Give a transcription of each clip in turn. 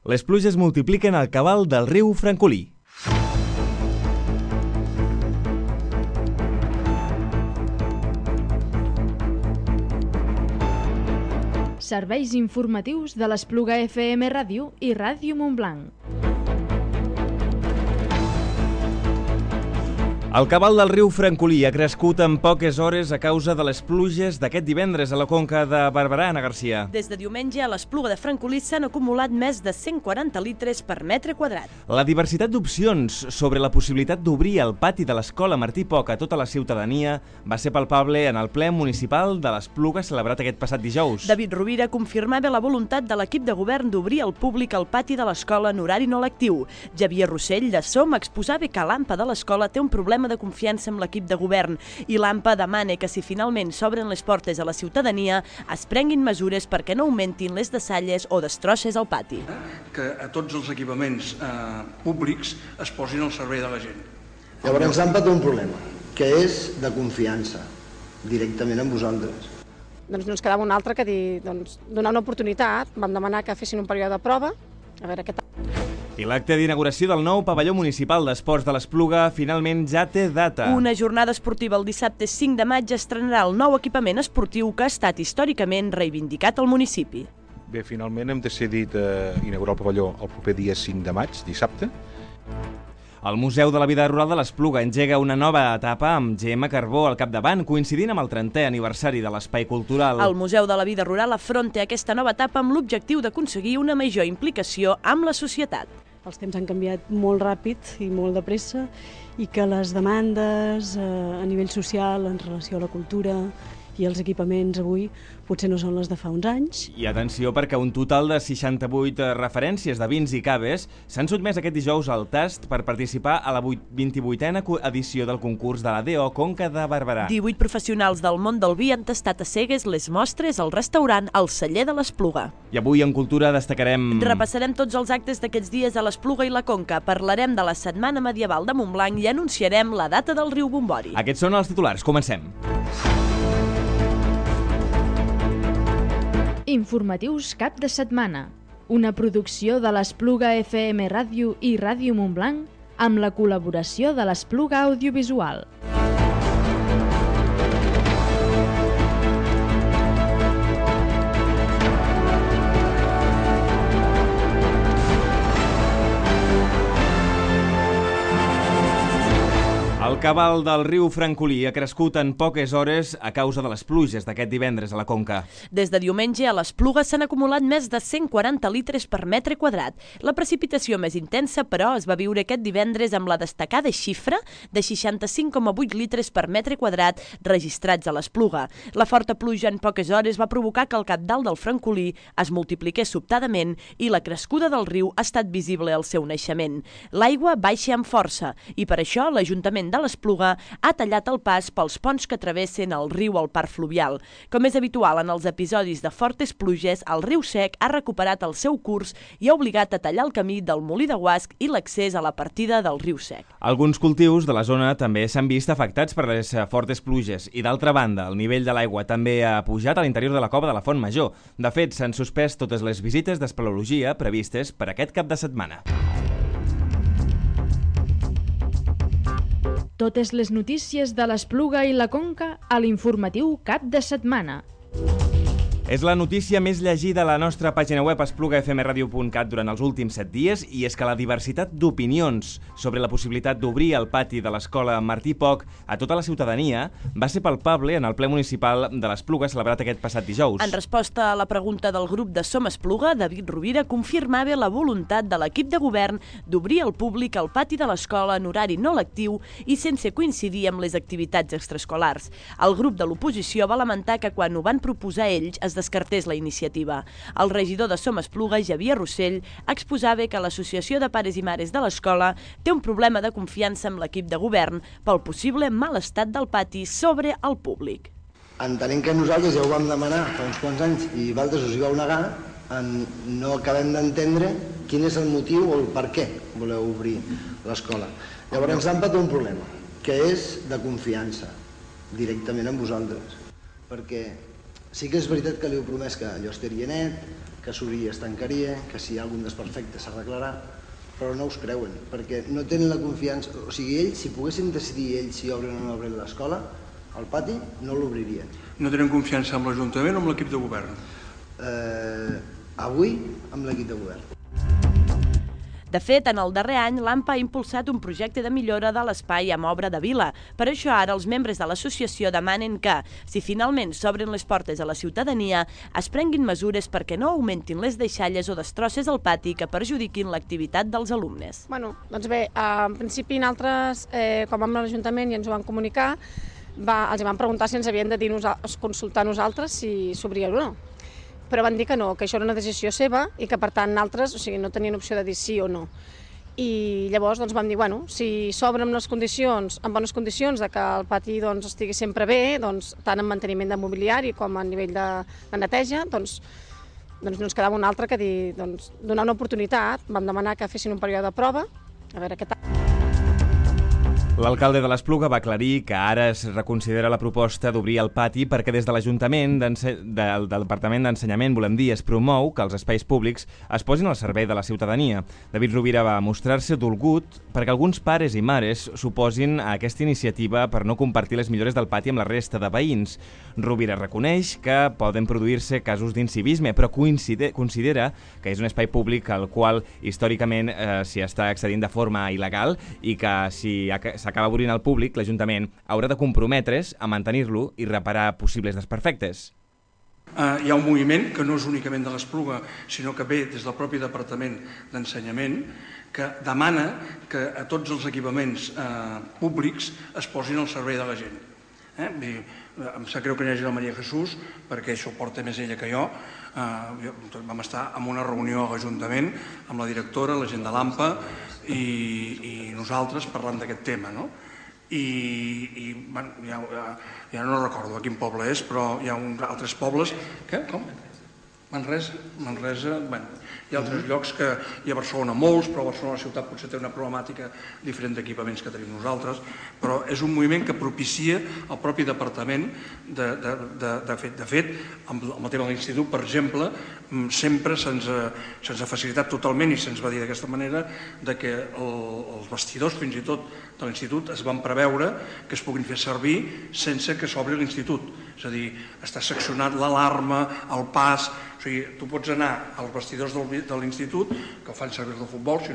Les pluges multipliquen el cabal del riu Francolí. Serveis informatius de l'Espluga FM Ràdio i Ràdio Montblanc. El cabal del riu Francolí ha crescut en poques hores a causa de les pluges d'aquest divendres a la conca de Barberà, Anna Garcia. Des de diumenge a l'Espluga de Francolí s'han acumulat més de 140 litres per metre quadrat. La diversitat d'opcions sobre la possibilitat d'obrir el pati de l'Escola Martí Poc a tota la ciutadania va ser palpable en el ple municipal de l'Espluga celebrat aquest passat dijous. David Rovira confirmava la voluntat de l'equip de govern d'obrir al públic el pati de l'escola en horari no lectiu. Javier Rossell, de SOM, exposava que l'AMPA de l'escola té un problema de confiança amb l'equip de govern i l'AMPA demana que si finalment s'obren les portes a la ciutadania es prenguin mesures perquè no augmentin les deixalles o destrosses al pati. Que a tots els equipaments públics es posin al servei de la gent. Llavors l'AMPA té un problema, que és de confiança, directament amb vosaltres. Doncs no ens quedava un altre que dir, donar una oportunitat, vam demanar que fessin un període de prova, a veure què tal. I l'acte d'inauguració del nou pavelló municipal d'esports de l'Espluga finalment ja té data. Una jornada esportiva el dissabte 5 de maig estrenarà el nou equipament esportiu que ha estat històricament reivindicat al municipi. Bé, finalment hem decidit inaugurar el pavelló el proper dia 5 de maig, dissabte. El Museu de la Vida Rural de l'Espluga engega una nova etapa amb Gemma Carbó al capdavant, coincidint amb el 30è aniversari de l'Espai Cultural. El Museu de la Vida Rural afronta aquesta nova etapa amb l'objectiu d'aconseguir una major implicació amb la societat. Els temps han canviat molt ràpid i molt de pressa i que les demandes a nivell social en relació a la cultura i els equipaments avui potser no són les de fa uns anys. I atenció perquè un total de 68 referències de vins i caves s'han sotmès aquest dijous al tast per participar a la 28a edició del concurs de la DO Conca de Barberà. 18 professionals del món del vi han tastat a cegues les mostres al restaurant El Celler de l'Espluga. I avui en Cultura destacarem... Repassarem tots els actes d'aquests dies a l'Espluga i la Conca, parlarem de la Setmana Medieval de Montblanc i anunciarem la data del riu Bombori. Aquests són els titulars, comencem. Informatius cap de setmana. Una producció de l'Espluga FM Ràdio i Ràdio Montblanc amb la col·laboració de l'Espluga Audiovisual. El cabal del riu Francolí ha crescut en poques hores a causa de les pluges d'aquest divendres a la Conca. Des de diumenge a l'Espluga s'han acumulat més de 140 litres per metre quadrat. La precipitació més intensa, però, es va viure aquest divendres amb la destacada xifra de 65,8 litres per metre quadrat registrats a l'Espluga. La forta pluja en poques hores va provocar que el cabdal del Francolí es multipliqués sobtadament i la crescuda del riu ha estat visible al seu naixement. L'aigua baixa amb força i per això l'Ajuntament de l'Espluga ha tallat el pas pels ponts que travessen el riu al parc fluvial. Com és habitual en els episodis de fortes pluges, el riu Sec ha recuperat el seu curs i ha obligat a tallar el camí del Molí de Guasc i l'accés a la partida del riu Sec. Alguns cultius de la zona també s'han vist afectats per les fortes pluges i, d'altra banda, el nivell de l'aigua també ha pujat a l'interior de la cova de la Font Major. De fet, s'han suspès totes les visites d'espeleologia previstes per aquest cap de setmana. Totes les notícies de l'Espluga i la Conca a l'informatiu cap de setmana. És la notícia més llegida a la nostra pàgina web esplugafmradio.cat durant els últims 7 dies i és que la diversitat d'opinions sobre la possibilitat d'obrir el pati de l'Escola Martí Poc a tota la ciutadania va ser palpable en el ple municipal de l'Espluga celebrat aquest passat dijous. En resposta a la pregunta del grup de Som Espluga, David Rovira confirmava la voluntat de l'equip de govern d'obrir al públic el pati de l'escola en horari no lectiu i sense coincidir amb les activitats extraescolars. El grup de l'oposició va lamentar que quan ho van proposar ells es descartés la iniciativa. El regidor de Som Espluga, Javier Rossell, exposava que l'Associació de Pares i Mares de l'Escola té un problema de confiança amb l'equip de govern pel possible mal estat del pati sobre el públic. Entenent que nosaltres ja ho vam demanar fa uns quants anys i vosaltres us hi vau negar, no acabem d'entendre quin és el motiu o el per què voleu obrir l'escola. Llavors l'AMPA té un problema, que és de confiança, directament amb vosaltres, perquè sí que és veritat que li heu promès que allò estaria net, que s'obria es tancaria, que si hi ha algun desperfecte s'arreglarà, però no us creuen, perquè no tenen la confiança. O sigui, ells, si poguessin decidir ells si obren o no obren l'escola, al pati no l'obririen. No tenen confiança amb l'Ajuntament o amb l'equip de govern? Avui, amb l'equip de govern. De fet, en el darrer any, l'AMPA ha impulsat un projecte de millora de l'espai amb obra de vila. Per això ara els membres de l'associació demanen que, si finalment s'obren les portes a la ciutadania, es prenguin mesures perquè no augmentin les deixalles o destrosses al pati que perjudiquin l'activitat dels alumnes. Doncs bé, en principi nosaltres, com vam a l'Ajuntament i ens ho van comunicar, els van preguntar si ens havien de consultar nosaltres si s'obria o no. Però van dir que no, que això era una decisió seva i que per tant nosaltres no tenien opció de dir sí o no. I llavors vam dir, si s'obre amb bones condicions de que el pati estigui sempre bé, tant en manteniment de mobiliari com a nivell de neteja, doncs no ens quedava un altre que dir, donar una oportunitat. Vam demanar que fessin un període de prova, a veure què tal. L'alcalde de l'Espluga va aclarir que ara es reconsidera la proposta d'obrir el pati perquè des de l'Ajuntament, del Departament d'Ensenyament, es promou que els espais públics es posin al servei de la ciutadania. David Rovira va mostrar-se dolgut perquè alguns pares i mares s'oposin a aquesta iniciativa per no compartir les millores del pati amb la resta de veïns. Rovira reconeix que poden produir-se casos d'incivisme, però considera que és un espai públic al qual històricament s'hi està accedint de forma il·legal i que si s'acaba obrint al públic, l'Ajuntament haurà de comprometre's a mantenir-lo i reparar possibles desperfectes. Hi ha un moviment que no és únicament de l'Espluga, sinó que ve des del propi Departament d'Ensenyament, que demana que a tots els equipaments públics es posin al servei de la gent. Em sap greu que no hi hagi la Maria Jesús, perquè això ho porta més ella que jo. Vam estar en una reunió a l'Ajuntament amb la directora, la gent de l'AMPA i nosaltres parlant d'aquest tema. Ja no recordo a quin poble és, però hi ha altres pobles... Què? Com? Manresa, hi ha altres llocs que hi ha a Barcelona molts, però a Barcelona ciutat potser té una problemàtica diferent d'equipaments que tenim nosaltres, però és un moviment que propicia el propi departament. De fet, amb el tema de l'institut, per exemple, sempre se'ns ha facilitat totalment i se'ns va dir d'aquesta manera que els vestidors, fins i tot, de l'institut es van preveure que es puguin fer servir sense que s'obri l'institut. És a dir, està seccionat l'alarma, el pas... O sigui, tu pots anar als vestidors de l'institut, que ho fan servir de futbol, si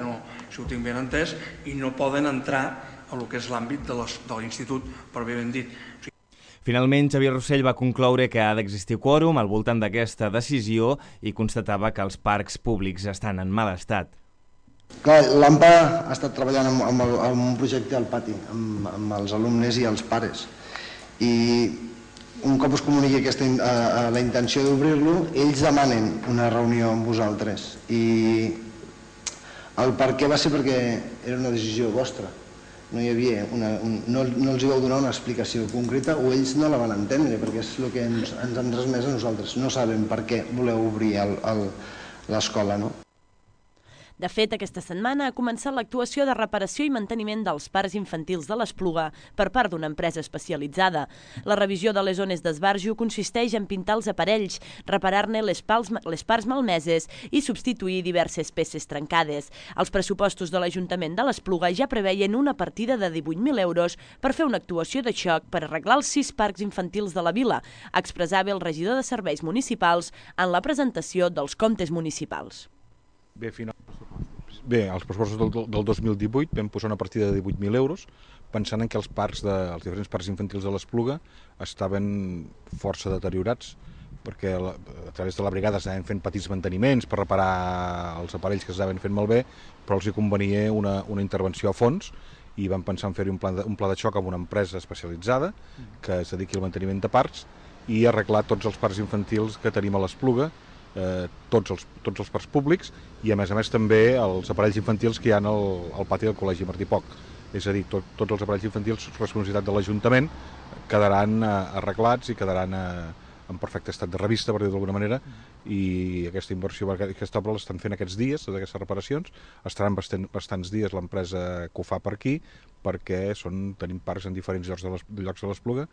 ho tinc ben entès, i no poden entrar a lo que és l'àmbit de l'institut, per ben dit. Finalment, Xavier Rossell va concloure que ha d'existir quòrum al voltant d'aquesta decisió i constatava que els parcs públics estan en mal estat. Clar, l'AMPA ha estat treballant amb un projecte al pati, amb els alumnes i els pares. I un cop us comuniqui la intenció d'obrir-lo, ells demanen una reunió amb vosaltres. I el per què va ser perquè era una decisió vostra. No hi havia no els hi vau donar una explicació concreta o ells no la van entendre, perquè és el que ens han transmès a nosaltres. No sabem per què voleu obrir l'escola, no? De fet, aquesta setmana ha començat l'actuació de reparació i manteniment dels parcs infantils de l'Espluga per part d'una empresa especialitzada. La revisió de les zones d'esbarjo consisteix en pintar els aparells, reparar-ne les parts malmeses i substituir diverses peces trencades. Els pressupostos de l'Ajuntament de l'Espluga ja preveien una partida de 18.000 euros per fer una actuació de xoc per arreglar els 6 parcs infantils de la vila, expressava el regidor de Serveis Municipals en la presentació dels comptes municipals. Bé, als pressupostos del 2018 vam posar una partida de 18.000 euros pensant en que els diferents parcs infantils de l'Espluga estaven força deteriorats perquè a través de la brigada s'anaven fent petits manteniments per reparar els aparells que s'anaven fent malbé, però els hi convenia una intervenció a fons i vam pensar en fer-hi un pla de xoc amb una empresa especialitzada que es dediqui al manteniment de parcs i arreglar tots els parcs infantils que tenim a l'Espluga, tots els parcs públics i a més també els aparells infantils que hi ha al pati del Col·legi Martí Poch. És a dir, tots els aparells infantils, responsabilitat de l'Ajuntament, quedaran arreglats i quedaran en perfecte estat de revista, per dir-ho d'alguna manera, i aquesta inversió, aquesta obra l'estan fent aquests dies, totes aquestes reparacions, estaran bastants dies l'empresa que ho fa per aquí, perquè tenim parcs en diferents llocs de l'Espluga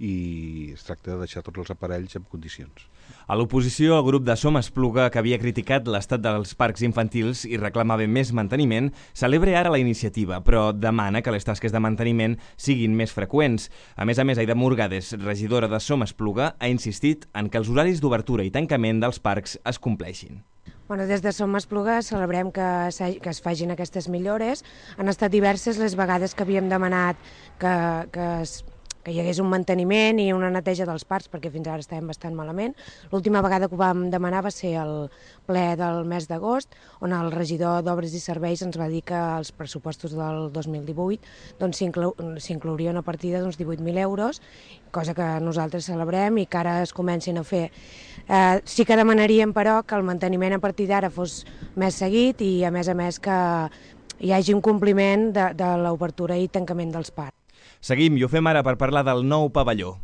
i es tracta de deixar tots els aparells en condicions. A l'oposició, el grup de Som Espluga, que havia criticat l'estat dels parcs infantils i reclamava més manteniment, celebra ara la iniciativa, però demana que les tasques de manteniment siguin més freqüents. A més, Aida Morgades, regidora de Som Espluga, ha insistit en que els horaris d'obertura i tancament dels parcs es compleixin. Des de Som Espluga celebrem que es facin aquestes millores. Han estat diverses les vegades que havíem demanat que hi hagués un manteniment i una neteja dels parcs, perquè fins ara estàvem bastant malament. L'última vegada que ho vam demanar va ser el ple del mes d'agost, on el regidor d'Obres i Serveis ens va dir que els pressupostos del 2018 s'inclouria una partida d'uns 18.000 euros, cosa que nosaltres celebrem i que ara es comencin a fer. Sí que demanaríem, però, que el manteniment a partir d'ara fos més seguit i, a més, que hi hagi un compliment de l'obertura i tancament dels parcs. Seguim i ho fem ara per parlar del nou pavelló.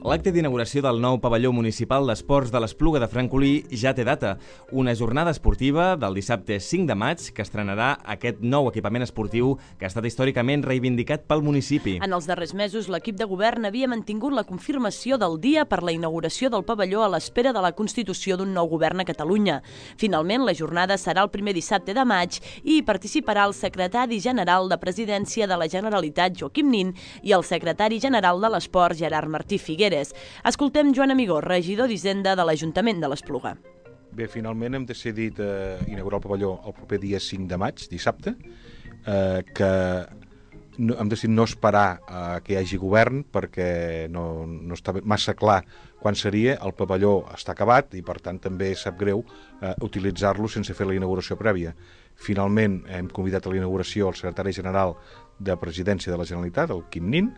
L'acte d'inauguració del nou pavelló municipal d'esports de l'Espluga de Francolí ja té data. Una jornada esportiva del dissabte 5 de maig que estrenarà aquest nou equipament esportiu que ha estat històricament reivindicat pel municipi. En els darrers mesos, l'equip de govern havia mantingut la confirmació del dia per la inauguració del pavelló a l'espera de la constitució d'un nou govern a Catalunya. Finalment, la jornada serà el primer dissabte de maig i hi participarà el secretari general de Presidència de la Generalitat, Joaquim Nin, i el secretari general de l'Esport, Gerard Martí Figueres. Escoltem Joan Amigó, regidor d'Hisenda de l'Ajuntament de l'Espluga. Bé, finalment hem decidit inaugurar el pavelló el proper dia 5 de maig, dissabte, que hem decidit no esperar que hi hagi govern perquè no està massa clar quan seria. El pavelló està acabat i per tant també sap greu utilitzar-lo sense fer la inauguració prèvia. Finalment hem convidat a la inauguració el secretari general de Presidència de la Generalitat, el Quim Nin,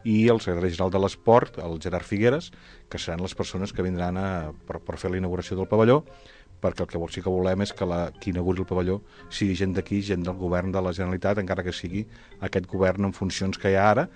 i el secretari general de l'Esport, el Gerard Figueres, que seran les persones que vindran per fer la inauguració del pavelló, perquè el que sí que volem és que qui inauguri el pavelló sigui gent d'aquí, gent del govern de la Generalitat, encara que sigui aquest govern en funcions que hi ha ara,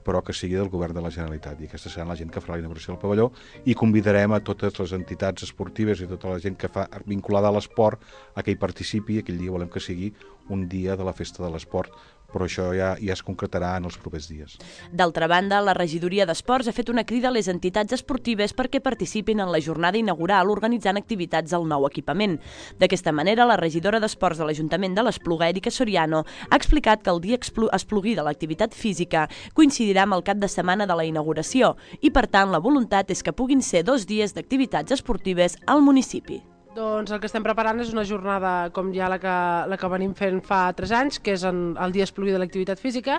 però que sigui del govern de la Generalitat. I aquesta serà la gent que farà la inauguració del pavelló i convidarem a totes les entitats esportives i tota la gent que fa vinculada a l'esport a que hi participi. Aquell dia volem que sigui un dia de la festa de l'esport, però això ja es concretarà en els propers dies. D'altra banda, la regidoria d'Esports ha fet una crida a les entitats esportives perquè participin en la jornada inaugural organitzant activitats al nou equipament. D'aquesta manera, la regidora d'Esports de l'Ajuntament de l'Espluga, Erika Soriano, ha explicat que el dia esplugui de l'activitat física coincidirà amb el cap de setmana de la inauguració i, per tant, la voluntat és que puguin ser 2 dies d'activitats esportives al municipi. Doncs el que estem preparant és una jornada com ja la que venim fent fa 3 anys, que és el dia esplugui de l'activitat física.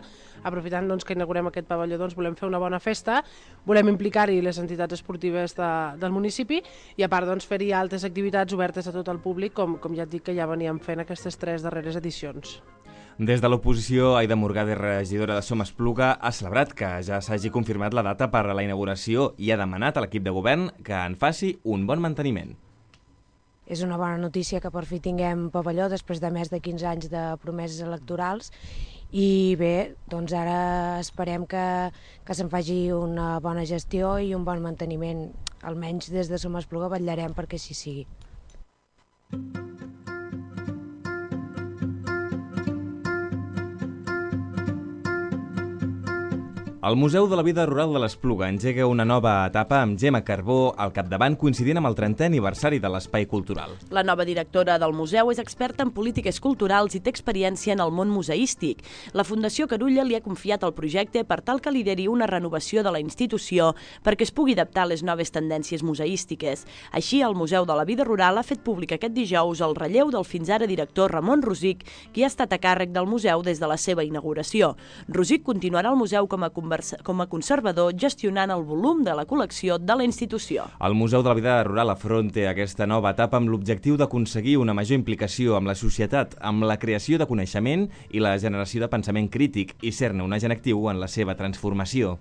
Aprofitant que inaugurem aquest pavelló, volem fer una bona festa, volem implicar-hi les entitats esportives del municipi i a part fer-hi altres activitats obertes a tot el públic, com ja et dic que ja veníem fent aquestes 3 darreres edicions. Des de l'oposició, Aida Morgades, regidora de Som Espluga, ha celebrat que ja s'hagi confirmat la data per a la inauguració i ha demanat a l'equip de govern que en faci un bon manteniment. És una bona notícia que per fi tinguem pavelló després de més de 15 anys de promeses electorals i bé, ara esperem que se'n faci una bona gestió i un bon manteniment. Almenys des de Som Espluga vetllarem perquè així sigui. El Museu de la Vida Rural de l'Espluga engega una nova etapa amb Gemma Carbó al capdavant, coincidint amb el 30è aniversari de l'Espai Cultural. La nova directora del museu és experta en polítiques culturals i té experiència en el món museístic. La Fundació Carulla li ha confiat el projecte per tal que lideri una renovació de la institució perquè es pugui adaptar a les noves tendències museístiques. Així, el Museu de la Vida Rural ha fet públic aquest dijous el relleu del fins ara director Ramon Rosic, qui ha estat a càrrec del museu des de la seva inauguració. Rosic continuarà al museu com a conservador, gestionant el volum de la col·lecció de la institució. El Museu de la Vida Rural afronta aquesta nova etapa amb l'objectiu d'aconseguir una major implicació amb la societat, amb la creació de coneixement i la generació de pensament crític i ser-ne un agent actiu en la seva transformació.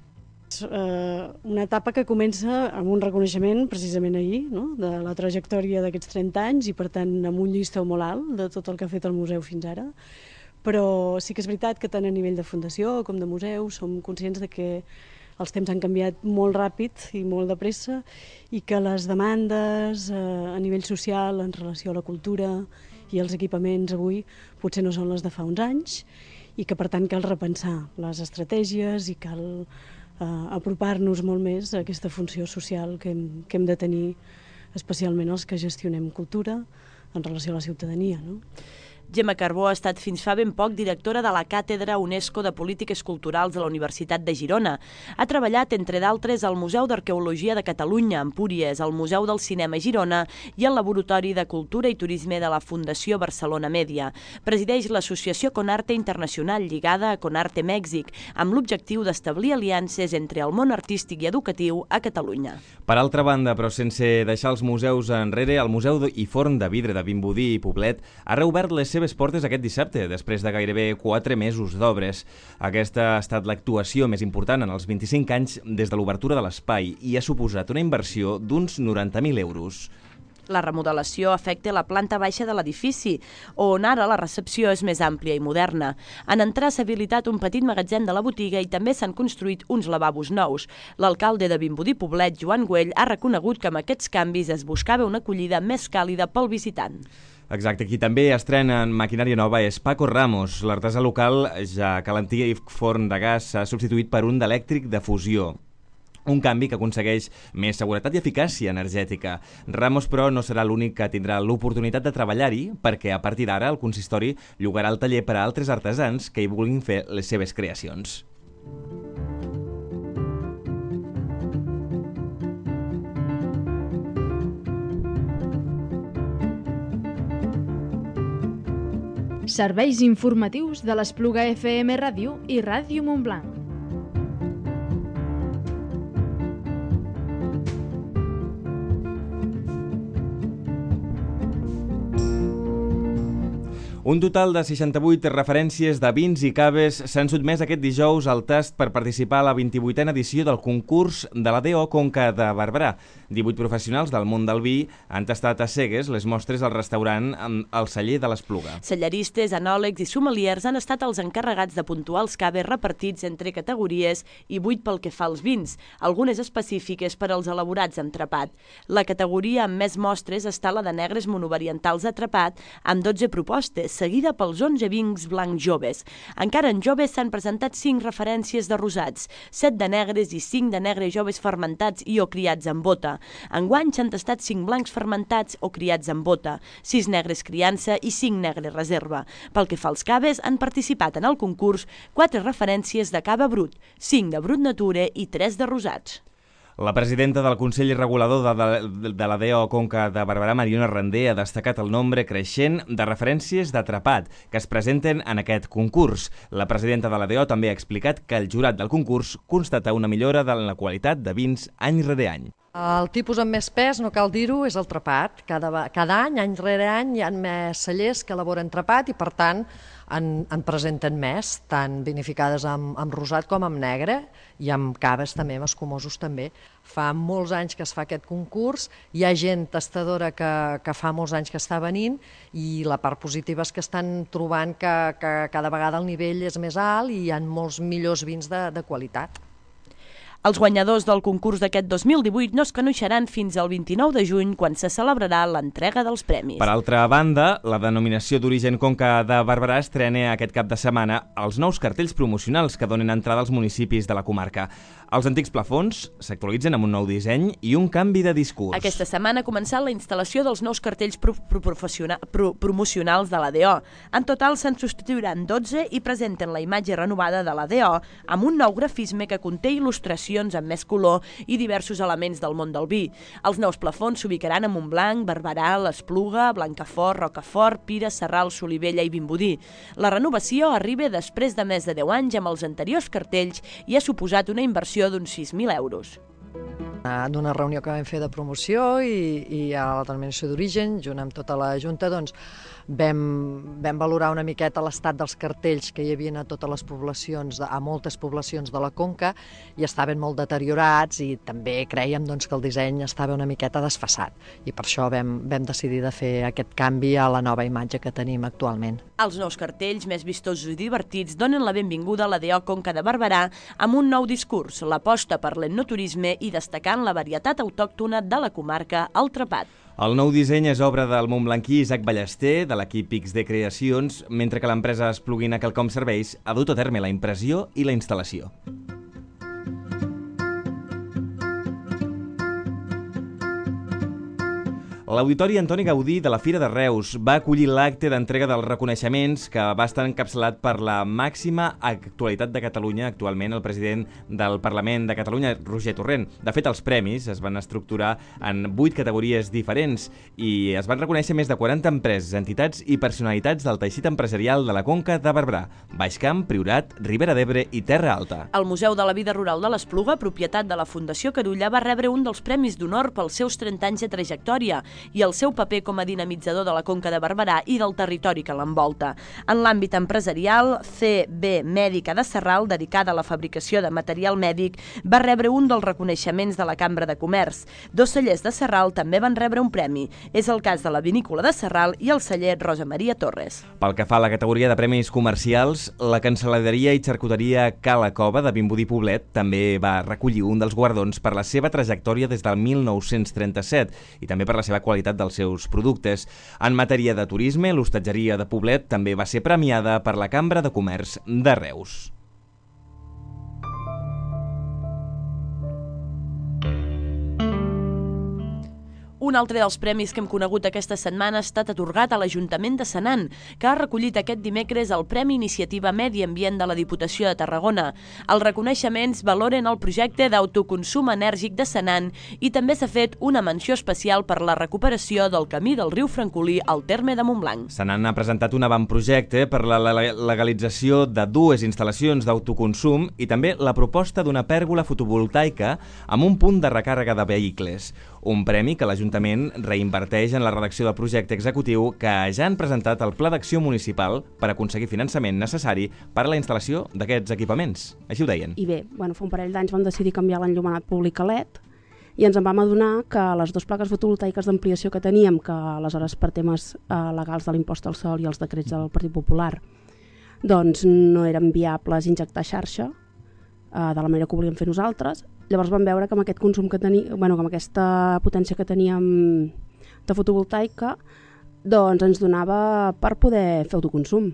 És una etapa que comença amb un reconeixement, precisament ahir, de la trajectòria d'aquests 30 anys i, per tant, amb un llistó molt alt de tot el que ha fet el museu fins ara. Però sí que és veritat que tant a nivell de fundació com de museu som conscients de que els temps han canviat molt ràpid i molt de pressa i que les demandes a nivell social en relació a la cultura i els equipaments avui potser no són les de fa uns anys i que per tant cal repensar les estratègies i cal apropar-nos molt més a aquesta funció social que hem de tenir especialment els que gestionem cultura en relació a la ciutadania, no? Gemma Carbó ha estat fins fa ben poc directora de la Càtedra UNESCO de Polítiques Culturals de la Universitat de Girona. Ha treballat, entre d'altres, al Museu d'Arqueologia de Catalunya, a Empúries, al Museu del Cinema a Girona i al Laboratori de Cultura i Turisme de la Fundació Barcelona Mèdia. Presideix l'associació Conarte Internacional, lligada a Conarte Mèxic, amb l'objectiu d'establir aliances entre el món artístic i educatiu a Catalunya. Per altra banda, però sense deixar els museus enrere, el Museu i Forn de Vidre de Vimbodí i Poblet ha reobert les seves portes aquest dissabte, després de gairebé 4 mesos d'obres. Aquesta ha estat l'actuació més important en els 25 anys des de l'obertura de l'espai i ha suposat una inversió d'uns 90.000 euros. La remodelació afecta la planta baixa de l'edifici, on ara la recepció és més àmplia i moderna. En entrar s'ha habilitat un petit magatzem de la botiga i també s'han construït uns lavabos nous. L'alcalde de Vimbodí Poblet, Joan Güell, ha reconegut que amb aquests canvis es buscava una acollida més càlida pel visitant. Exacte, qui també estrena en maquinària nova és Paco Ramos, l'artesà local, ja que l'antic forn de gas s'ha substituït per un d'elèctric de fusió. Un canvi que aconsegueix més seguretat i eficàcia energètica. Ramos, però, no serà l'únic que tindrà l'oportunitat de treballar-hi, perquè a partir d'ara el consistori llogarà el taller per a altres artesans que hi vulguin fer les seves creacions. Serveis informatius de l'Espluga FM Ràdio i Ràdio Montblanc. Un total de 68 referències de vins i caves s'han sotmès aquest dijous al tast per participar a la 28a edició del concurs de la DO Conca de Barberà. 18 professionals del món del vi han tastat a cegues les mostres al restaurant El Celler de l'Espluga. Cellaristes, anòlegs i sommeliers han estat els encarregats de puntuar els caves repartits entre categories i 8 pel que fa als vins, algunes específiques per als elaborats amb trapat. La categoria amb més mostres està la de negres monovariantals de trapat, amb 12 propostes, seguida pels 11 vins blancs joves. Encara en joves s'han presentat 5 referències de rosats, 7 de negres i 5 de negres joves fermentats i o criats en bota. Enguany s'han tastat 5 blancs fermentats o criats en bota, 6 negres criança i 5 negres reserva. Pel que fa als caves, han participat en el concurs 4 referències de cava brut, 5 de brut nature i 3 de rosats. La presidenta del Consell Regulador de la DO Conca de Barberà, Mariona Randé, ha destacat el nombre creixent de referències d'atrapat que es presenten en aquest concurs. La presidenta de la DO també ha explicat que el jurat del concurs constata una millora de la qualitat de vins any rere any. El tipus amb més pes, no cal dir-ho, és el trapat. Cada any rere any, hi ha més cellers que elaboren trapat i, per tant, en presenten més, tant vinificades amb rosat com amb negre i amb caves també, amb escumosos també. Fa molts anys que es fa aquest concurs, hi ha gent tastadora que fa molts anys que està venint i la part positiva és que estan trobant que cada vegada el nivell és més alt i hi ha molts millors vins de qualitat. Els guanyadors del concurs d'aquest 2018 no es coneixeran fins al 29 de juny, quan se celebrarà l'entrega dels premis. Per altra banda, la denominació d'origen Conca de Barberà estrena aquest cap de setmana els nous cartells promocionals que donen entrada als municipis de la comarca. Els antics plafons s'actualitzen amb un nou disseny i un canvi de discurs. Aquesta setmana ha començat la instal·lació dels nous cartells promocionals de la DO. En total se'n substituiran 12 i presenten la imatge renovada de la DO amb un nou grafisme que conté il·lustracions amb més color i diversos elements del món del vi. Els nous plafons s'ubicaran a Montblanc, Barberà, l'Espluga, Blancafort, Rocafort, Pira, Sarral, Solivella i Vimbodí. La renovació arriba després de més de 10 anys amb els anteriors cartells i ha suposat una inversió d'uns 6.000 euros. d'una reunió que vam fer de promoció i a la denominació d'origen, junt amb tota la Junta, doncs, vam valorar una miqueta l'estat dels cartells que hi havia a totes les poblacions, a moltes poblacions de la Conca, i estaven molt deteriorats i també crèiem doncs, que el disseny estava una miqueta desfasat i per això vam decidir de fer aquest canvi a la nova imatge que tenim actualment. Els nous cartells, més vistosos i divertits, donen la benvinguda a l'ADO Conca de Barberà amb un nou discurs, l'aposta per l'etnoturisme i destacant la varietat autòctona de la comarca al Trepat. El nou disseny és obra del montblanquí Isaac Ballester, de l'equip XD Creacions, mentre que l'empresa Espluguina Quelcom Serveis ha dut a terme la impressió i la instal·lació. L'Auditori Antoni Gaudí de la Fira de Reus va acollir l'acte d'entrega dels reconeixements que va estar encapçalat per la màxima actualitat de Catalunya, actualment el president del Parlament de Catalunya, Roger Torrent. De fet, els premis es van estructurar en 8 categories diferents i es van reconèixer més de 40 empreses, entitats i personalitats del teixit empresarial de la Conca de Barberà, Baix Camp, Priorat, Ribera d'Ebre i Terra Alta. El Museu de la Vida Rural de l'Espluga, propietat de la Fundació Carulla, va rebre un dels premis d'honor pels seus 30 anys de trajectòria i el seu paper com a dinamitzador de la Conca de Barberà i del territori que l'envolta. En l'àmbit empresarial, CB Mèdica de Sarral, dedicada a la fabricació de material mèdic, va rebre un dels reconeixements de la Cambra de Comerç. 2 cellers de Sarral també van rebre un premi. És el cas de la Vinícola de Sarral i el celler Rosa Maria Torres. Pel que fa a la categoria de premis comercials, la Cancel·laderia i Xarcuteria Cala Cova de Vimbodí Poblet també va recollir un dels guardons per la seva trajectòria des del 1937 i també per la seva qualitat dels seus productes. En matèria de turisme, l'hostatgeria de Poblet també va ser premiada per la Cambra de Comerç de Reus. Un altre dels premis que hem conegut aquesta setmana ha estat atorgat a l'Ajuntament de Senan, que ha recollit aquest dimecres el Premi Iniciativa Medi Ambient de la Diputació de Tarragona. Els reconeixements valoren el projecte d'autoconsum enèrgic de Senan i també s'ha fet una menció especial per la recuperació del camí del riu Francolí al terme de Montblanc. Senan ha presentat un avantprojecte per la legalització de 2 instal·lacions d'autoconsum i també la proposta d'una pèrgola fotovoltaica amb un punt de recàrrega de vehicles. Un premi que l'Ajuntament reinverteix en la redacció del projecte executiu que ja han presentat el Pla d'Acció Municipal per aconseguir finançament necessari per a la instal·lació d'aquests equipaments. Així ho deien. I bé, fa un parell d'anys vam decidir canviar l'enllumenat públic a LED i ens en vam adonar que les 2 plaques fotovoltaiques d'ampliació que teníem, que aleshores per temes legals de l'impost al sol i els decrets del Partit Popular, doncs no eren viables injectar xarxa de la manera que ho volíem fer nosaltres. Llavors vam veure que amb aquest consum que amb aquesta potència que teníem de fotovoltaica, doncs ens donava per poder fer autoconsum.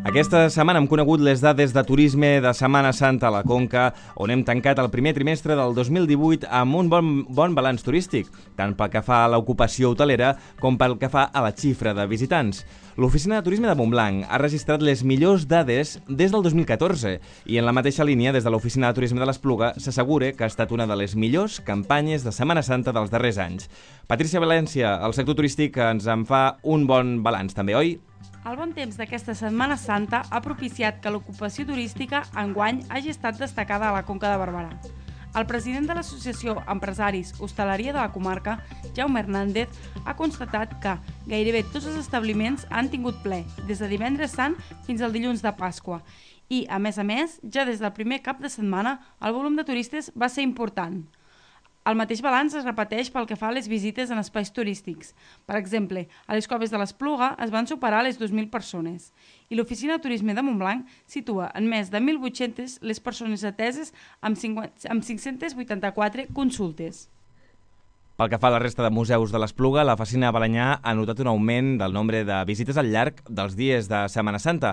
Aquesta setmana hem conegut les dades de turisme de Setmana Santa a la Conca, on hem tancat el primer trimestre del 2018 amb un bon balanç turístic, tant pel que fa a l'ocupació hotelera com pel que fa a la xifra de visitants. L'Oficina de Turisme de Montblanc ha registrat les millors dades des del 2014 i en la mateixa línia, des de l'Oficina de Turisme de l'Espluga, s'assegura que ha estat una de les millors campanyes de Setmana Santa dels darrers anys. Patrícia València, el sector turístic, ens en fa un bon balanç també, oi? El bon temps d'aquesta Setmana Santa ha propiciat que l'ocupació turística enguany hagi estat destacada a la Conca de Barberà. El president de l'Associació Empresaris Hostaleria de la comarca, Jaume Hernández, ha constatat que gairebé tots els establiments han tingut ple, des de divendres sant fins al dilluns de Pasqua. I, a més, ja des del primer cap de setmana, el volum de turistes va ser important. El mateix balanç es repeteix pel que fa a les visites en espais turístics. Per exemple, a les coves de l'Espluga es van superar les 2.000 persones i l'Oficina de Turisme de Montblanc situa en més de 1.800 les persones ateses amb 584 consultes. Pel que fa a la resta de museus de l'Espluga, la Facina Balenyà ha notat un augment del nombre de visites al llarg dels dies de Setmana Santa.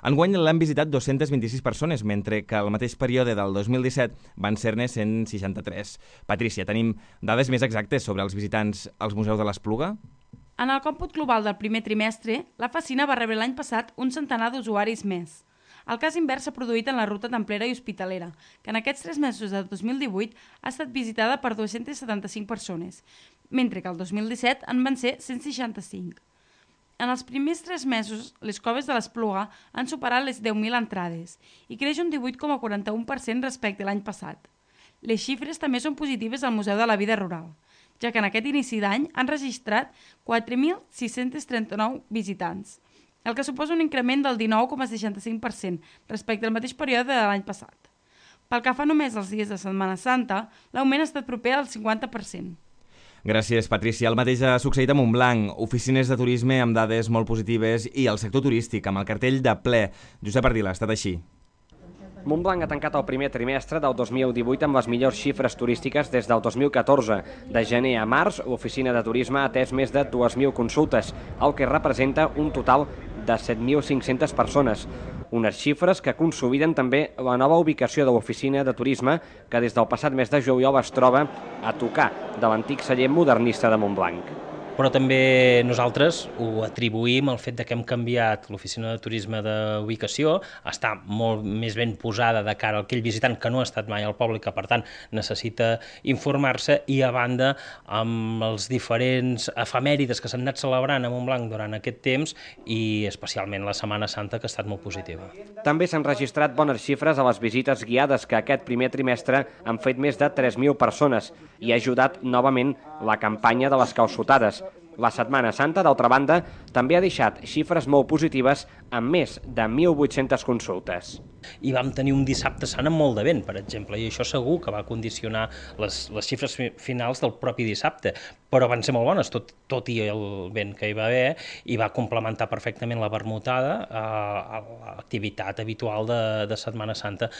Enguany l'han visitat 226 persones, mentre que al mateix període del 2017 van ser-ne 163. Patrícia, tenim dades més exactes sobre els visitants als museus de l'Espluga? En el còmput global del primer trimestre, la Facina va rebre l'any passat un centenar d'usuaris més. El cas invers s'ha produït en la ruta templera i hospitalera, que en aquests 3 mesos de 2018 ha estat visitada per 275 persones, mentre que el 2017 en van ser 165. En els primers 3 mesos, les coves de l'Espluga han superat les 10.000 entrades i creix un 18,41% respecte a l'any passat. Les xifres també són positives al Museu de la Vida Rural, ja que en aquest inici d'any han registrat 4.639 visitants, el que suposa un increment del 19,65% respecte al mateix període de l'any passat. Pel que fa només als dies de Setmana Santa, l'augment ha estat proper al 50%. Gràcies, Patrícia. El mateix ha succeït a Montblanc. Oficines de turisme amb dades molt positives i el sector turístic amb el cartell de ple. Josep Ardila, ha estat així. Montblanc ha tancat el primer trimestre del 2018 amb les millors xifres turístiques des del 2014. De gener a març, l'oficina de turisme ha atès més de 2.000 consultes, el que representa un total de 7.500 persones. Unes xifres que consoliden també la nova ubicació de l'oficina de turisme que des del passat mes de juliol es troba a tocar de l'antic celler modernista de Montblanc. Però també nosaltres ho atribuïm al fet que hem canviat l'oficina de turisme d'ubicació, està molt més ben posada de cara a aquell visitant que no ha estat mai al poble i que per tant necessita informar-se, i a banda amb els diferents efemèrides que s'han anat celebrant a Montblanc durant aquest temps i especialment la Setmana Santa, que ha estat molt positiva. També s'han registrat bones xifres a les visites guiades que aquest primer trimestre han fet més de 3.000 persones i ha ajudat novament la campanya de les calçotades. La Setmana Santa, d'altra banda, també ha deixat xifres molt positives amb més de 1.800 consultes. I vam tenir un dissabte sant amb molt de vent, per exemple, i això segur que va condicionar les xifres finals del propi dissabte, però van ser molt bones, tot i el vent que hi va haver, i va complementar perfectament la vermutada a l'activitat habitual de Setmana Santa.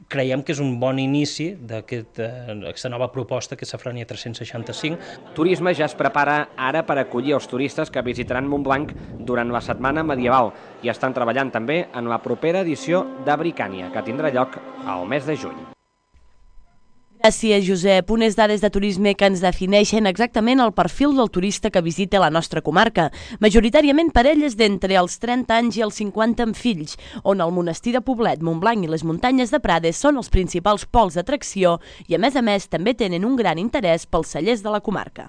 Creiem que és un bon inici d'aquesta nova proposta que és Safrania 365. Turisme ja es prepara ara per acollir els turistes que visitaran Montblanc durant la setmana medieval i estan treballant també en la propera edició de Bricània, que tindrà lloc al mes de juny. Gràcies, Josep. Unes dades de turisme que ens defineixen exactament el perfil del turista que visita la nostra comarca, majoritàriament parelles d'entre els 30 anys i els 50 amb fills, on el monestir de Poblet, Montblanc i les muntanyes de Prades són els principals pols d'atracció i, a més, també tenen un gran interès pels cellers de la comarca.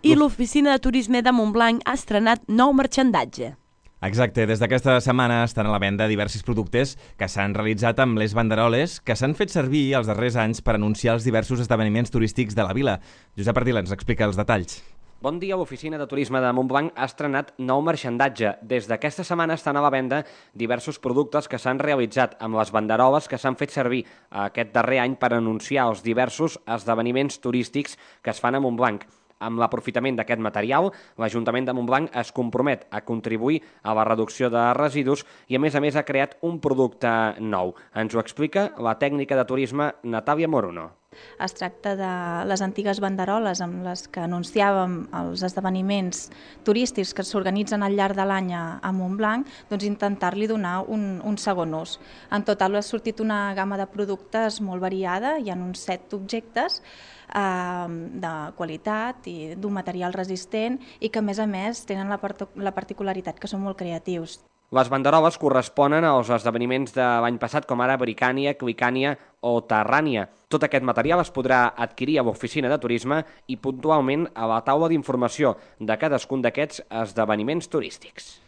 I l'oficina de turisme de Montblanc ha estrenat nou marxandatge. Exacte, des d'aquesta setmana estan a la venda diversos productes que s'han realitzat amb les banderoles que s'han fet servir els darrers anys per anunciar els diversos esdeveniments turístics de la vila. Josep Ardila ens explica els detalls. Bon dia, l'oficina de turisme de Montblanc ha estrenat nou marxandatge. Des d'aquesta setmana estan a la venda diversos productes que s'han realitzat amb les banderoles que s'han fet servir aquest darrer any per anunciar els diversos esdeveniments turístics que es fan a Montblanc. Amb l'aprofitament d'aquest material, l'Ajuntament de Montblanc es compromet a contribuir a la reducció de residus i, a més, ha creat un producte nou. Ens ho explica la tècnica de turisme Natàlia Moruno. Es tracta de les antigues banderoles amb les que anunciàvem els esdeveniments turístics que s'organitzen al llarg de l'any a Montblanc, doncs intentar-li donar un segon ús. En total ha sortit una gamma de productes molt variada, hi ha uns 7 objectes de qualitat i d'un material resistent i que, a més, tenen la particularitat que són molt creatius. Les banderoles corresponen als esdeveniments de l'any passat, com ara Bricània, Clicània o Terrània. Tot aquest material es podrà adquirir a l'oficina de turisme i puntualment a la taula d'informació de cadascun d'aquests esdeveniments turístics.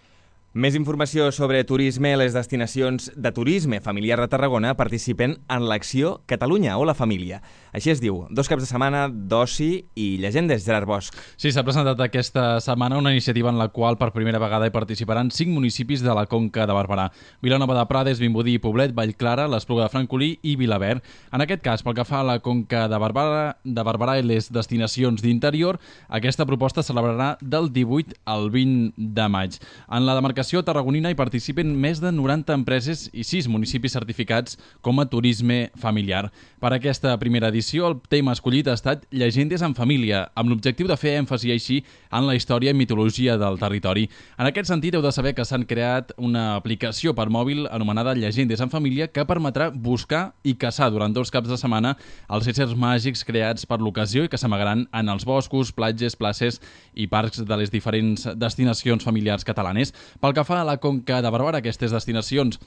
Més informació sobre turisme. Les destinacions de turisme familiar de Tarragona participen en l'acció Catalunya o la Família. Així es diu, 2 caps de setmana d'oci i llegendes. Gerard Bosch. Sí, s'ha presentat aquesta setmana una iniciativa en la qual per primera vegada hi participaran 5 municipis de la Conca de Barberà: Vilanova de Prades, Vimbodí, Poblet, Vallclara, l'Espluga de Francolí i Vilaverd. En aquest cas, pel que fa a la Conca de Barberà i les destinacions d'interior, aquesta proposta es celebrarà del 18 al 20 de maig. En la demarcació tarragonina hi participen més de 90 empreses i 6 municipis certificats com a turisme familiar. Per aquesta primera edició, el tema escollit ha estat Llegendes en família, amb l'objectiu de fer èmfasi així en la història i mitologia del territori. En aquest sentit, heu de saber que s'han creat una aplicació per mòbil anomenada Llegendes en família que permetrà buscar i caçar durant 2 caps de setmana els éssers màgics creats per l'ocasió i que s'amagaran en els boscos, platges, places i parcs de les diferents destinacions familiars catalanes. Pel Pel que fa a la Conca de Barberà, aquestes destinacions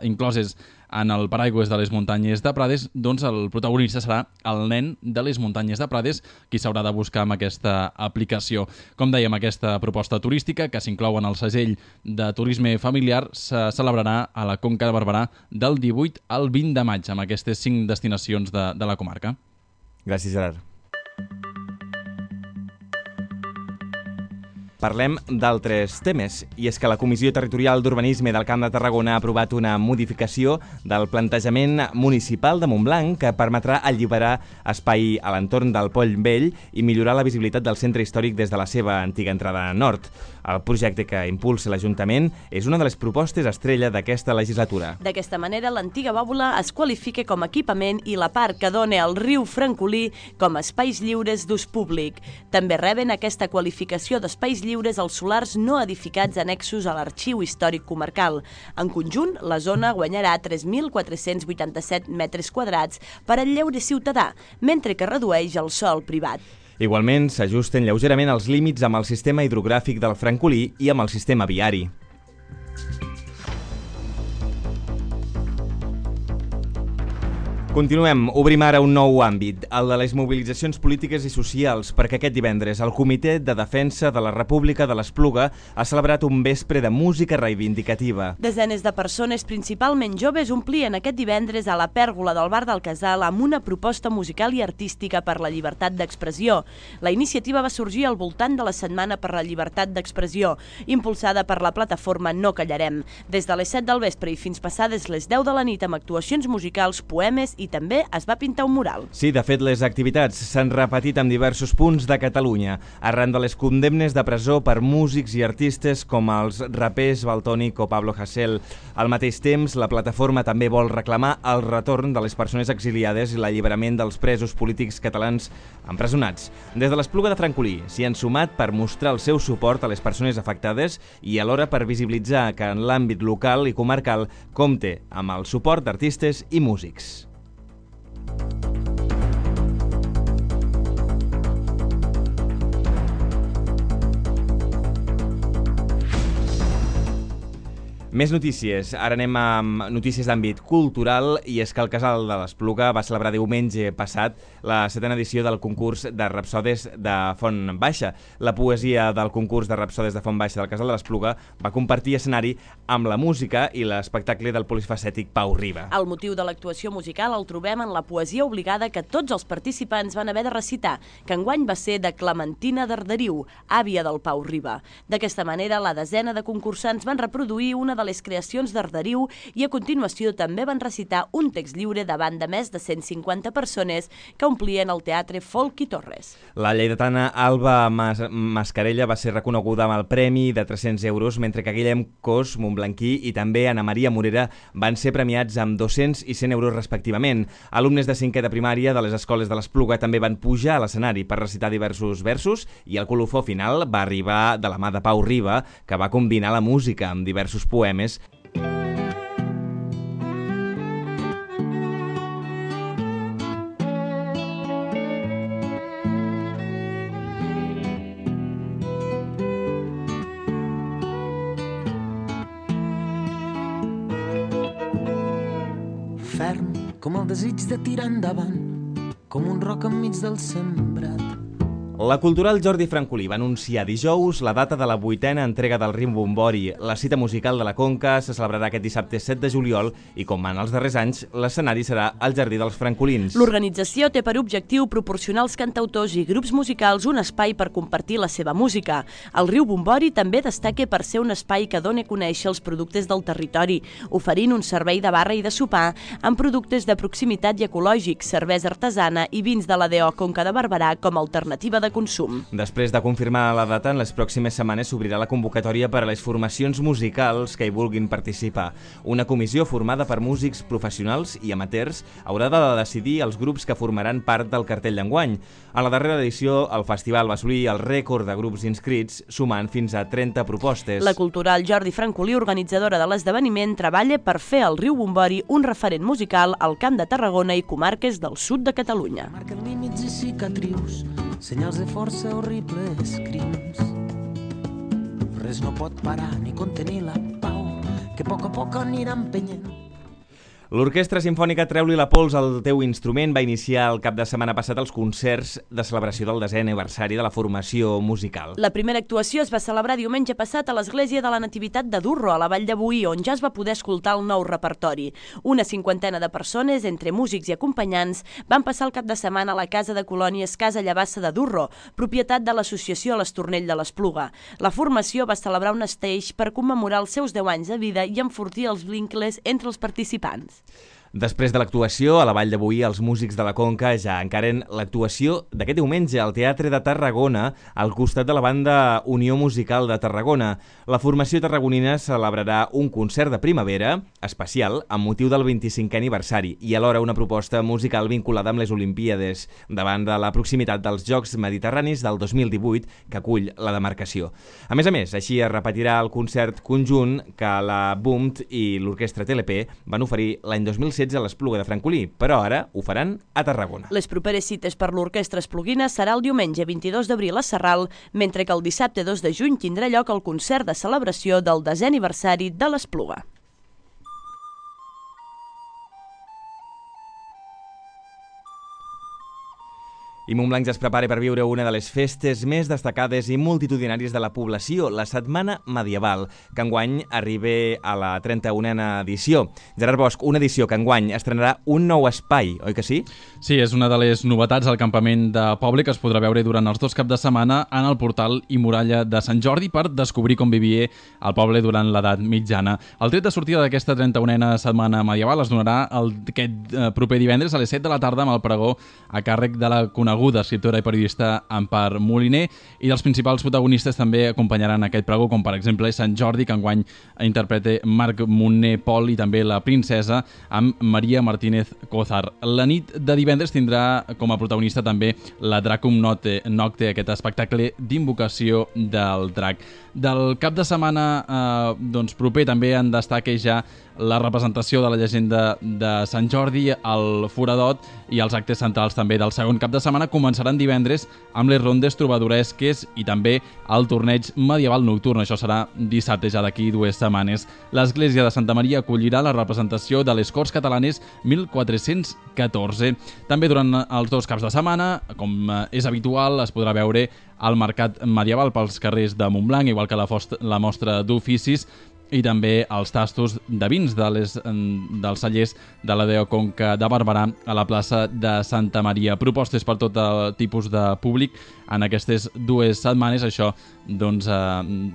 incloses en el paraigües de les muntanyes de Prades, doncs el protagonista serà el nen de les muntanyes de Prades, qui s'haurà de buscar amb aquesta aplicació. Com dèiem, aquesta proposta turística, que s'inclou en el segell de turisme familiar, se celebrarà a la Conca de Barberà del 18 al 20 de maig, amb aquestes 5 destinacions de la comarca. Gràcies, Gerard. Parlem d'altres temes, i és que la Comissió Territorial d'Urbanisme del Camp de Tarragona ha aprovat una modificació del plantejament municipal de Montblanc que permetrà alliberar espai a l'entorn del Poll Vell i millorar la visibilitat del centre històric des de la seva antiga entrada nord. El projecte que impulsa l'Ajuntament és una de les propostes estrella d'aquesta legislatura. D'aquesta manera, l'antiga bòbula es qualifica com a equipament i la part que dona al riu Francolí com a espais lliures d'ús públic. També reben aquesta qualificació d'espais lliures els solars no edificats annexos a l'Arxiu Històric Comarcal. En conjunt, la zona guanyarà 3.487 metres quadrats per al lleure ciutadà, mentre que redueix el sòl privat. Igualment, s'ajusten lleugerament els límits amb el sistema hidrogràfic del Francolí i amb el sistema viari. Continuem, obrim ara un nou àmbit, el de les mobilitzacions polítiques i socials, perquè aquest divendres el Comitè de Defensa de la República de l'Espluga ha celebrat un vespre de música reivindicativa. Desenes de persones, principalment joves, omplien aquest divendres a la pèrgola del Bar del Casal amb una proposta musical i artística per la llibertat d'expressió. La iniciativa va sorgir al voltant de la Setmana per la Llibertat d'Expressió, impulsada per la plataforma No Callarem, des de les 7 del vespre i fins passades les 10 de la nit amb actuacions musicals, poemes i també es va pintar un mural. Sí, de fet, les activitats s'han repetit en diversos punts de Catalunya, arran de les condemnes de presó per músics i artistes com els rapers Valtònic o Pablo Hasél. Al mateix temps, la plataforma també vol reclamar el retorn de les persones exiliades i l'alliberament dels presos polítics catalans empresonats. Des de l'Espluga de Francolí s'hi han sumat per mostrar el seu suport a les persones afectades i alhora per visibilitzar que en l'àmbit local i comarcal compte amb el suport d'artistes i músics. Més notícies. Ara anem amb notícies d'àmbit cultural, i és que el Casal de l'Espluga va celebrar diumenge passat la 7a edició del concurs de Rapsodes de Font Baixa. La poesia del concurs de Rapsodes de Font Baixa del Casal de l'Espluga va compartir escenari amb la música i l'espectacle del polifacètic Pau Riba. El motiu de l'actuació musical el trobem en la poesia obligada que tots els participants van haver de recitar, que enguany va ser de Clementina d'Arderiu, àvia del Pau Riba. D'aquesta manera, la desena de concursants van reproduir una de les creacions d'Arderiu i a continuació també van recitar un text lliure davant de més de 150 persones que omplien el Teatre Folk i Torres. La lleidatana Alba Mascarella va ser reconeguda amb el premi de 300 euros, mentre que Guillem Cos, montblanquí, i també Ana Maria Morera van ser premiats amb 200 i 100 euros respectivament. Alumnes de 5è de primària de les escoles de l'Espluga també van pujar a l'escenari per recitar diversos versos i el colofó final va arribar de la mà de Pau Riba, que va combinar la música amb diversos poemes. Ferm com el desig de tirar endavant, com un roc enmig del sembrat. La Cultural Jordi Francolí va anunciar dijous la data de la 8a entrega del Rimbombori. La cita musical de la Conca se celebrarà aquest dissabte 7 de juliol i, com en els darrers anys, l'escenari serà al Jardí dels Francolins. L'organització té per objectiu proporcionar als cantautors i grups musicals un espai per compartir la seva música. El Rimbombori també destaca per ser un espai que dona a conèixer els productes del territori, oferint un servei de barra i de sopar amb productes de proximitat i ecològics, cervesa artesana i vins de la DO Conca de Barberà com a alternativa de consum. Després de confirmar la data, en les pròximes setmanes s'obrirà la convocatòria per a les formacions musicals que hi vulguin participar. Una comissió formada per músics professionals i amateurs haurà de decidir els grups que formaran part del cartell d'enguany. A la darrera edició, el festival va assolir el rècord de grups inscrits, sumant fins a 30 propostes. La Cultural Jordi Francolí, organitzadora de l'esdeveniment, treballa per fer el Rimbombori un referent musical al Camp de Tarragona i comarques del sud de Catalunya. Marquen límits i cicatrius, senyals de força, horribles crims. res no pot parar ni contenir la pau que a poc anirà empenyent. L'Orquestra Simfònica Treu-li la pols al teu instrument va iniciar el cap de setmana passat els concerts de celebració del 10è aniversari de la formació musical. La primera actuació es va celebrar diumenge passat a l'Església de la Nativitat de Durro, a la Vall de Boí, on ja es va poder escoltar el nou repertori. Una 50ena de persones, entre músics i acompanyants, van passar el cap de setmana a la Casa de Colònies Casa Llavassa de Durro, propietat de l'associació l'Estornell de l'Espluga. La formació va celebrar un stage per commemorar els seus 10 anys de vida i enfortir els vincles entre els participants. Després de l'actuació, a la Vall de Boí, els músics de la Conca ja encaren l'actuació d'aquest diumenge al Teatre de Tarragona, al costat de la banda Unió Musical de Tarragona. La formació tarragonina celebrarà un concert de primavera especial amb motiu del 25è aniversari i alhora una proposta musical vinculada amb les Olimpíades, davant de la proximitat dels Jocs Mediterranis del 2018 que acull la demarcació. A més, així es repetirà el concert conjunt que la BUMT i l'Orquestra TLP van oferir l'any 2016 a l'Espluga de Francolí, però ara ho faran a Tarragona. Les properes cites per l'Orquestra Espluguina serà el diumenge 22 d'abril a Sarral, mentre que el dissabte 2 de juny tindrà lloc el concert de celebració del 10è aniversari de l'Espluga. I Montblanc ja es prepara per viure una de les festes més destacades i multitudinàries de la població, la Setmana Medieval, que enguany arriba a la 31a edició. Gerard Bosch, una edició que enguany estrenarà un nou espai, oi que sí? Sí, és una de les novetats al campament de poble que es podrà veure durant els 2 caps de setmana en el portal i muralla de Sant Jordi per descobrir com vivia el poble durant l'edat mitjana. El tret de sortida d'aquesta 31a Setmana Medieval es donarà aquest proper divendres a les 7 de la tarda amb el pregó a càrrec de la coneguda escriptora i periodista Empar Moliner, i dels principals protagonistes també acompanyaran aquest pregó, com per exemple Sant Jordi, que enguany interpreta Marc Moner Pol, i també La princesa amb Maria Martínez Cózar. La nit de divendres tindrà com a protagonista també la Dracum Nocte, aquest espectacle d'invocació del drac. Del cap de setmana proper també en destaca ja la representació de la llegenda de Sant Jordi, el Foradot i els actes centrals també del segon cap de setmana començaran divendres amb les rondes trobadoresques i també el torneig medieval nocturn. Això serà dissabte, ja d'aquí 2 setmanes. L'Església de Santa Maria acollirà la representació de les Corts Catalanes 1414. També durant els 2 caps de setmana, com és habitual, es podrà veure el mercat medieval pels carrers de Montblanc, igual que la mostra d'oficis i també els tastos de vins dels cellers de la Deo Conca de Barberà a la plaça de Santa Maria. Propostes per tot tipus de públic en aquestes 2 setmanes. Això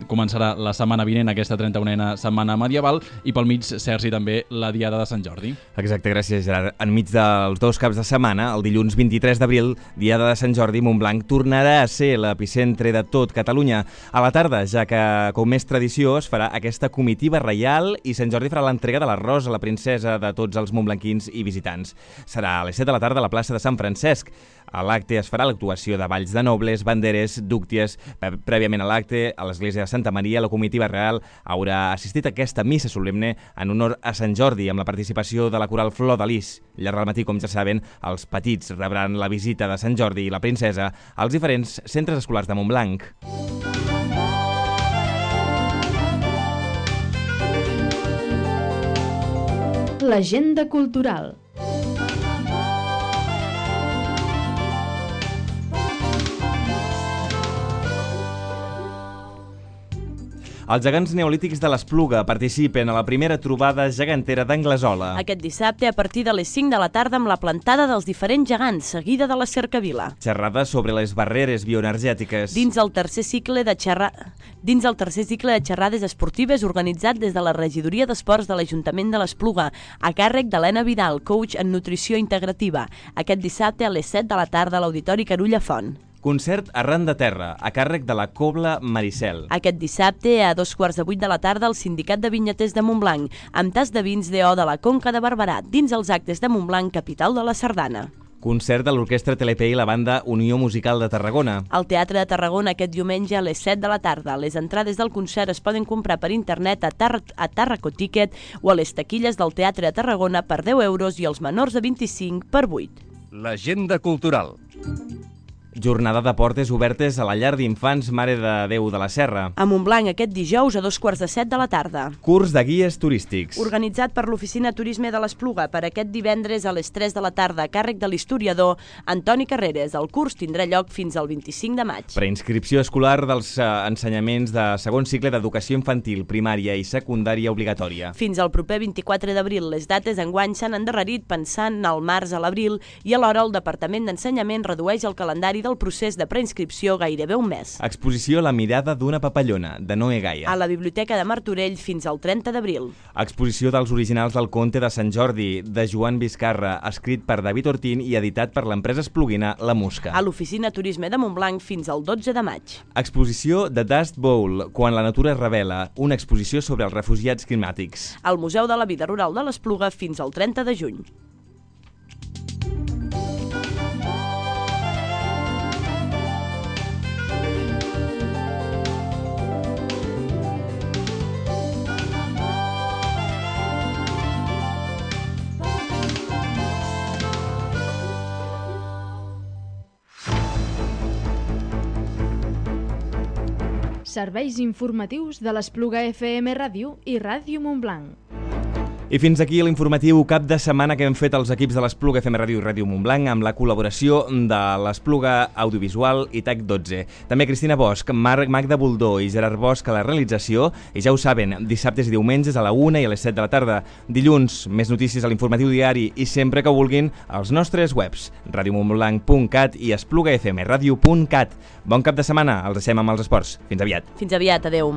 començarà la setmana vinent, aquesta 31a Setmana Medieval, i pel mig, Sergi, també la Diada de Sant Jordi. Exacte, gràcies, Gerard. Enmig dels 2 caps de setmana, el dilluns 23 d'abril, Diada de Sant Jordi, Montblanc tornarà a ser l'epicentre de tot Catalunya. A la tarda, ja que, com és tradició, es farà aquesta comitiva reial i Sant Jordi farà l'entrega de l'arròs a la princesa de tots els montblanquins i visitants. Serà a les 7 de la tarda a la plaça de Sant Francesc. A l'acte es farà l'actuació de balls de nobles, banderes, dúcties. Prèviament a l'acte, a l'església de Santa Maria, la comitiva real haurà assistit a aquesta missa solemne en honor a Sant Jordi, amb la participació de la coral Flor de Lis. Llarg del matí, com ja saben, els petits rebran la visita de Sant Jordi i la princesa als diferents centres escolars de Montblanc. L'agenda cultural. Els gegants neolítics de l'Espluga participen a la primera trobada gegantera d'Anglesola. Aquest dissabte a partir de les 5 de la tarda amb la plantada dels diferents gegants, seguida de la cercavila. Xerrada sobre les barreres bioenergètiques. Dins el tercer cicle de xerrades esportives organitzat des de la Regidoria d'Esports de l'Ajuntament de l'Espluga, a càrrec d'Helena Vidal, coach en nutrició integrativa. Aquest dissabte a les 7 de la tarda a l'Auditori Carulla Font. Concert Arran de Terra, a càrrec de la Cobla Maricel. Aquest dissabte, a 2:15 de la tarda, al Sindicat de Vinyaters de Montblanc, amb tas de vins d'O de la Conca de Barberà, dins els actes de Montblanc, capital de la Sardana. Concert de l'Orquestra TLP i la banda Unió Musical de Tarragona. Al Teatre de Tarragona aquest diumenge a les 7 de la tarda. Les entrades del concert es poden comprar per internet a Tarracoticket o a les taquilles del Teatre de Tarragona per 10 euros i els menors de 25 per 8. L'agenda cultural. Jornada de portes obertes a la llar d'infants Mare de Déu de la Serra. A Montblanc aquest dijous a 2:45 de la tarda. Curs de guies turístics. Organitzat per l'Oficina Turisme de l'Espluga per aquest divendres a les 3 de la tarda a càrrec de l'historiador Antoni Carreras. El curs tindrà lloc fins al 25 de maig. Preinscripció escolar dels ensenyaments de segon cicle d'educació infantil, primària i secundària obligatòria. Fins al proper 24 d'abril. Les dates enguany s'han endarrerit pensant al març a l'abril i alhora el Departament d'Ensenyament redueix el calendari del procés de preinscripció gairebé un mes. Exposició La mirada d'una papallona, de Noé Gaia. A la Biblioteca de Martorell fins al 30 d'abril. Exposició dels originals del Conte de Sant Jordi, de Joan Vizcarra, escrit per David Ortín i editat per l'empresa espluguina La Musca. A l'Oficina Turisme de Montblanc fins al 12 de maig. Exposició The Dust Bowl, quan la natura es revela, una exposició sobre els refugiats climàtics. Al Museu de la Vida Rural de l'Espluga fins al 30 de juny. Serveis informatius de l'Espluga FM Ràdio i Ràdio Montblanc. I fins aquí l'informatiu cap de setmana que hem fet els equips de l'Espluga FM Ràdio i Ràdio Montblanc amb la col·laboració de l'Espluga Audiovisual i Tec 12. També Cristina Bosch, Magda Buldó i Gerard Bosch a la realització. I ja ho saben, dissabtes i diumenges a la 1 i a les 7 de la tarda. Dilluns, més notícies a l'informatiu diari i sempre que vulguin als nostres webs radiomontblanc.cat i esplugafmradio.cat. Bon cap de setmana, els deixem amb els esports. Fins aviat. Fins aviat, adeu.